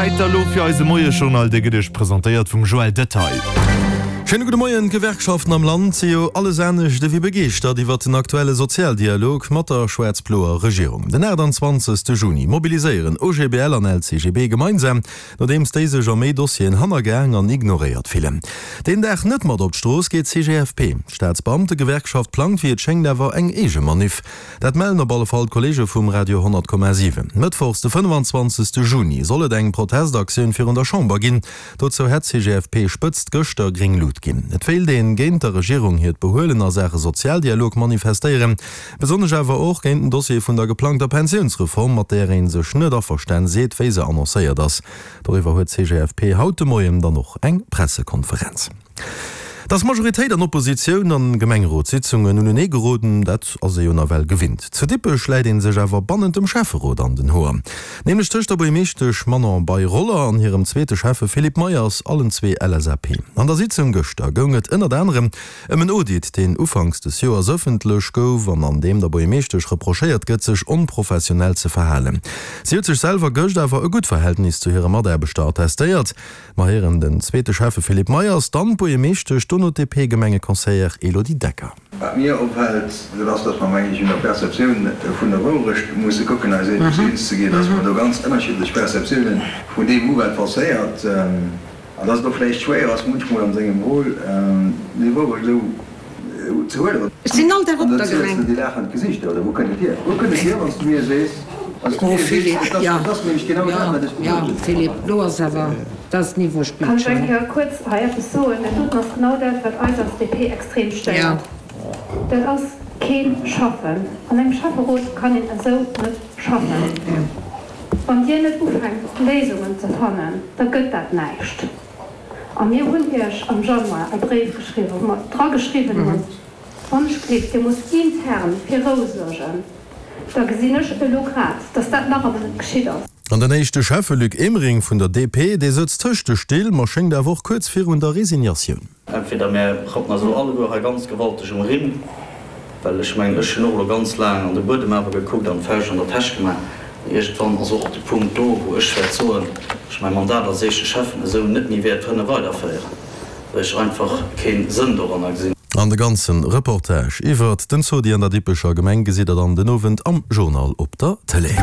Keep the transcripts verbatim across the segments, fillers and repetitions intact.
Zäit da lo fir eise Moiesjournal, dee gëtt Iech presentéiert vum Joël Detaille. Schéine gudde Moien. D'Gewerkschaften am Land si jo alles anescht ewéi begeeschtert iwwert den aktuelle Sozialdialog mat der schwaarz-bloer Regierung. Den achtanzwanzegste Juni mobiliséieren O G B L an L C G B gemeinsam, nodeems déi sech a méi Dossieren hannergaang an ignoréiert fillen. Deen Dag net mat op d'Strooss geet d'C G F P. D'Staatsbeamtegewerkschaft plangt wéi et schéngt awer eng eege Maniff. Dat mellen op alle Fall d'Kolleege vum Radio honnert Komma siwen. Mëttwochs de fënnefenzwanzegste Juni soll et eng Protestaktioun virun der Chamber ginn. Dozou hätt d'C G F P-Spëtzt gëschter gréng Lut ginn. Et wéilt een géint der Regierung hiert Behuelen a Saache Sozialdialog manifestéieren, besonnesch awer och géint den Dossier vun der geplangter Pensiounsreform, mat där ee sech net averstan seet, wéi se annoncéiert ass. Doriwwer huet d'C G F P haut de Moien dann och eng Pressekonferenz. Dass Majoritéit an Oppositioun an Gemengerotssitzungen unenee geroden, dat ass ee jo nawell gewinnt. Zu Dippech läit ee sech awer bannent dem Schäfferot an den Hoer. Nämlech tëscht der Buergermeeschtesch Manon Bei-Roller an hirem zweete Schäffe Philippe Meyers, allen zwee L S A P. An der Sitzung gëschter goung et ënnert anerem ëm en Audit, deen ufanks des Joers ëffentlech gouf an an deem der Buergermeeschtesch reprochéiert gëtt, sech onprofessionell ze verhalen. Si huet sech selwer gëscht awer e gutt Verhältnis zu hire Mataarbechter attestéiert. Mer héieren den zweete Schäffe Philippe Meyers, dann d'Buergermeeschtesch, dono d'D P-Gemengeconseillère Elodie Decker. Wat mir opfält, dat ass, dass mer, meng ech, un der Perceptioun vun der Wourecht musse kucken, eis eens eens ze ginn, dass mer do ganz ënnerschiddlech Perceptiounen vun deem hu wat passéiert, an dass et och vläicht schwéier ass munchmol an sengem Rôle déi Wourecht esou ze huelen. Ech sinn all Dag An op dann der ziels Gemeng. de déi laachend Gesichter, oder wou kënnt et hier? Wou kënnt et hier, wann s du mir sees, wann s du Oh mir sees, Philippe, et ass, ja, et ass nämlech genau ja, dat, wat ech ja, gesot hunn. Philippe, lo ass awer, dat ass Niveau spillt Kann ech schon. eng Kéier kuerz hei eppes soen? Dat doten ass genau dat, wat eis als D P extrem Ja. stéiert. Dat ass kee Schaffen. An engem Schäfferot kann een esou net schaffen. Wann Dir net ufänkt, Léisungen ze fannen, da gëtt dat näischt. A mir hunn Iech am Januar e Bréif geschriwwen, wou mer dra geschriwwen hunn, wann ech gleeft, Dir musst intern fir Rou suergen. Da gesinn ech elo grad, dass dat nach ëmmer net geschitt ass. An den éischte Schäffe Luc Emering vun der D P, dee sëtzt tëscht de Still, ma schéngt awer och kuerz virun der Resignatioun. Entweder mär rappen eis elo alleguer hei ganz gewalteg um Rimm, well ech mengen, ech hunn och elo ganz laang an de Buedem awer gekuckt an d'Fäisch an der Täsch gemaach. Iergendwann ass och de Punkt do, wou ech wäert soen, ech mäi Mandat als éischte Schäffen esou net méi wäert kënne weiderféieren, well ech einfach kee Sënn doranner gesinn. An de ganze Reportage iwwert den Zodi an der Dippecher Gemeng gesitt der dann den Owend am Journal op der Tëlee.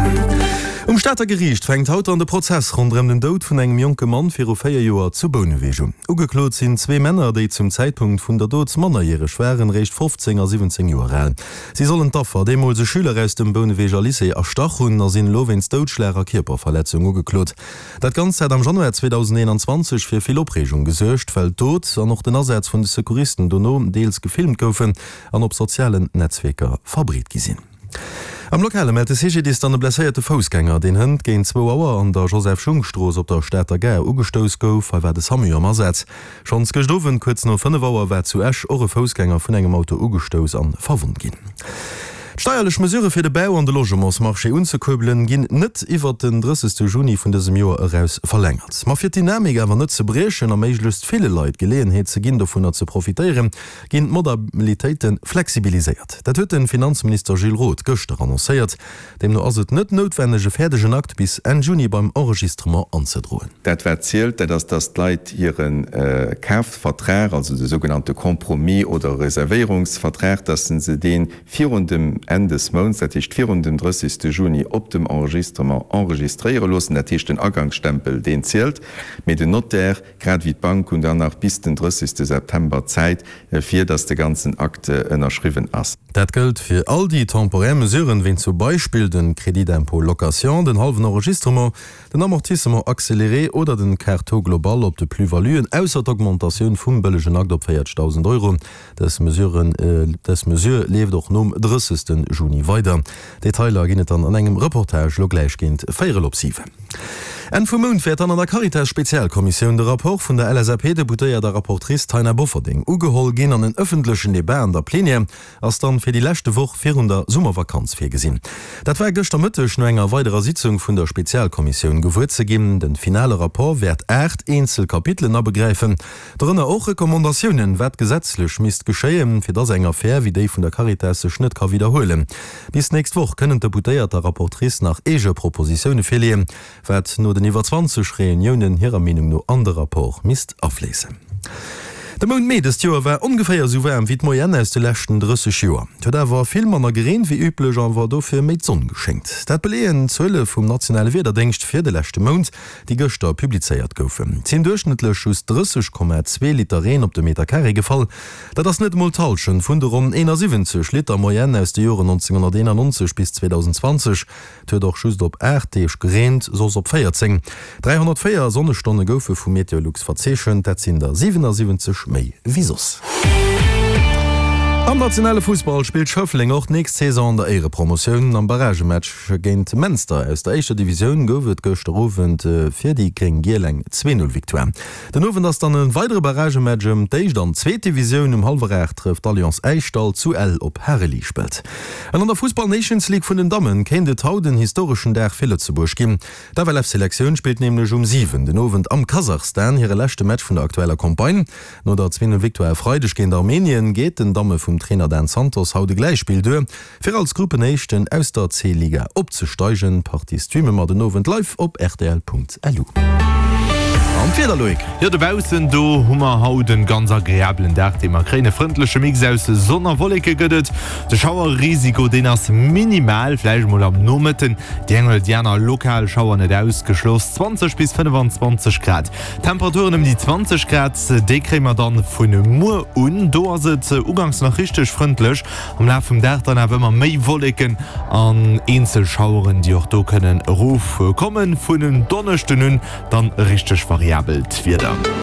Um Stater Geriicht fänkt haut dann de Prozess ronderëm den Doud vun engem jonke Mann viru véier Joer zu Bouneweg un. Ugeklot sinn zwee Männer, déi zum Zäitpunkt vun der Dot mannerjäreg waren, réischt fofzéng a siwwenzéng Joer al. Si sollen d'Affer, deemools e Schüler aus dem Bouneweger Lycée, erstach hunn a sinn elo wéinst Doudschlag a Kierperverletzung ugeklot. Dat Ganzt hat am Januar zweedausendeenanzwanzeg fir vill Opreegung gesuergt, well d'Dot an och den Asaz vun de Secouristen dono deels gefilmt goufen an op sozialen Netzwierker verbreet gi sinn. Am Lokale mellt de C G D I S dann e blesséierte Foussgänger, deen hënt géint zwou Auer an der Joseph-Schung-Strooss op der Stater Gare ugestouss gouf. Hei war de SAMU am Asaz. Schonns gëscht Owend kuerz no fënnef Auer war zu Esch och e Foussgänger vun engem Auto ugestouss an verwonnt ginn. D'steierlech Mesure fir de Bau an de Logementsmarché unzekuerbelen, ginn net iwwer den drëssegste Juni vun dësem Joer eraus verlängert. Ma fir d'Dynamik awer net ze briechen a méiglechst ville Leit Geleeënheet ze ginn, dovunner ze profitéieren, ginn d'Modalitéite flexibiliséiert. Dat huet de Finanzminister Gilles Roth gëschter annoncéiert. Deemno ass et net noutwenneg, e fäerdegen Akt bis Enn Juni beim Enregistrement anzedroen. Dat wat zielt, dat ass, dass d'Leit hire Kafvertrag, also de sougenannte Compromis oder Reservéierungsvertrag, dass se dee virun dem Enn des Mounts, dat heescht virun dem drëssegste Juni, op dem Enregistrement enregistréiere loossen. Dat heescht den Agangsstempel, deen zielt, mee den Notaire grad wéi d'Bank hunn dann nach bis den drëssegste September Zäit, fir dass de ganzen Akt ënnerschriwwen ass. Dat gëllt fir all déi temporär Mesuren, wéi zum Beispill den Crédit d'impôt location, den hallwen Enregistrement, den Amortissement accéléré oder den quart taux global op de Plus-valuen, ausser d'Augmentatioun vum bëllegen Akt op véierzegdausend Euro. Dës Mesuren, dës Mesure leeft och nom drëssegste Juni weider. Detailer ginn et dann an engem Reportage lo gläich géint véierel op siwen. Enn vum Mount wäert dann an der Caritas-Spezialkommissioun de Rapport vun der L S A P-Deputéierter a Rapportrice Taina Bofferding ugeholl ginn an en ëffentlechen Debat an der Plenière ass dann fir déi leschte Woch virun der Summervakanz virgesinn. Dat war gëschter Mëtteg no enger weiderer Sitzung vun der Spezialkommissioun gewuer ze ginn. Den finale Rapport wäert aacht eenzel Kapitelen abegräifen, dorënner och Recommandatiounen, wat gesetzlech misst geschéien, fir dass eng Affär wéi déi vun der Caritas sech net ka widderhuelen. Bis nächst Woch kënnen d'Deputéiert der Rapportrice nach eege Propositioune virleeën, wat no den den iwwer zwanzeg Reuniounen hirer Meenung no an de Rapport misst afléissen. De Mount Mee dëst Joer war ongeféier esou waarm wéi d'Moyenne aus de leschten drësseg Joer. Et huet awer vill manner gereent wéi üblech an war dofir méi d'Sonn geschéngt. Dat beleeën d'Zuele vum nationale Wiederdéngscht fir de leschte Mount, déi gëschter publizéiert goufen. Et sinn duerchschnëttlech just drësseg Komma zwee Liter Reen op de Meter Carré gefall. Dat ass net emol d'Hallschent vun de ronn eenasiwwenzeg Liter Moyenne aus de Joren nonzénghonnerteenannonzeg bis zweedausendzwanzeg Et huet och just op aacht Deeg gereent, soss op véierzéng. Dräihonnertvéier Sonnestonne goufe vu Meteolux verzeechent, dat sinn der siwenasiwwenzeg méi wéi soss. Am nationale Fussball spillt Schëffleng och d'nächst Saison an der Éierepromotioun. Am Barragematch géint Menster aus der éischter Divisioun gouf et gëschter Owend fir déi Gréng-Giel eng Zwee-Null-Victoire. Den Owend ass dann e weidere Barragematch ëm d'éischt an zweet Divisioun. Um hallwer aacht trëfft d'Alliance Äischdall zu Ell op Harelispelt. An an der Fussball Nations League vun den Dammen kéint et haut en historeschen Dag fir Lëtzebuerg ginn. D'FLF-Selektioun spillt nämlech um siwen den Owend am Kasachstan hire leschte Match vun der aktueller Campagne. No der Zwee-Null-Victoire e Freideg géint Armenien geet den Damme vum Trainer Dan Santos haut e Gläichspill duer, fir als Gruppenéischten aus der C-Liga opzesteigen. D'Partie streame mer den Owend live op rtl.lu. An d'Wieder, Loïc? Jo, dobaussen, do hu mer haut en ganz agreabelen Dag, dee mer kréien. E frëndleche Mix aus Sonn a Wolleke gëtt et. De Schauerrisiko, deen ass minimal, vläicht mol am Nomëtten déi eng oder déi aner lokal Schauer net ausgeschloss. zwanzeg bis fënnefanzwanzeg Grad, Temperaturen ëm déi zwanzeg Grad, déi kréie mer dann vun muer un. Do ass et uganks nach richteg frëndlech, am Laf vum Dag dann awer ëmmer méi Wolleken an eenzel Schaueren, déi och do kënnen erofkommen. Vun en Donneschden un dann richteg variabelt Wieder.